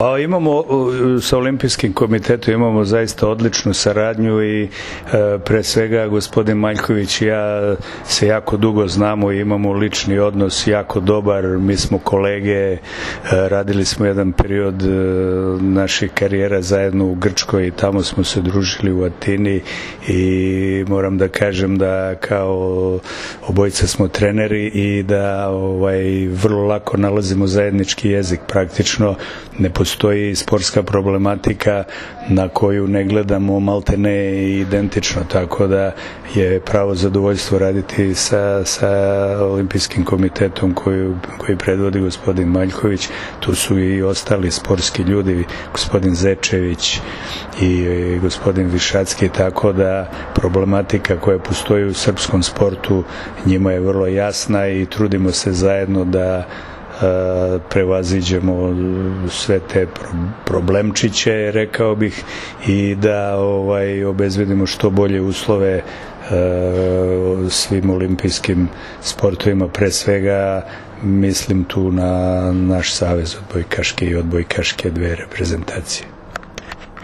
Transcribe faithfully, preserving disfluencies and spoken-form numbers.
Pa imamo, sa Olimpijskim komitetom imamo zaista odličnu saradnju i pre svega gospodin Maljković i ja se jako dugo znamo i imamo lični odnos jako dobar, mi smo kolege, radili smo jedan period naših karijera zajedno u Grčkoj i tamo smo se družili u Atini i moram da kažem da kao obojica smo treneri i da ovaj, vrlo lako nalazimo zajednički jezik, praktično ne postoji sportska problematika na koju ne gledamo malte ne identično, tako da je pravo zadovoljstvo raditi sa, sa Olimpijskim komitetom koju, koji predvodi gospodin Maljković. Tu su i ostali sportski ljudi, gospodin Zečević i gospodin Višacki, tako da problematika koja postoji u srpskom sportu njima je vrlo jasna i trudimo se zajedno da prevaziđemo sve te problemčiće, rekao bih, i da ovaj, obezbedimo što bolje uslove svim olimpijskim sportovima, pre svega mislim tu na naš savez odbojkaške i odbojkaške dve reprezentacije.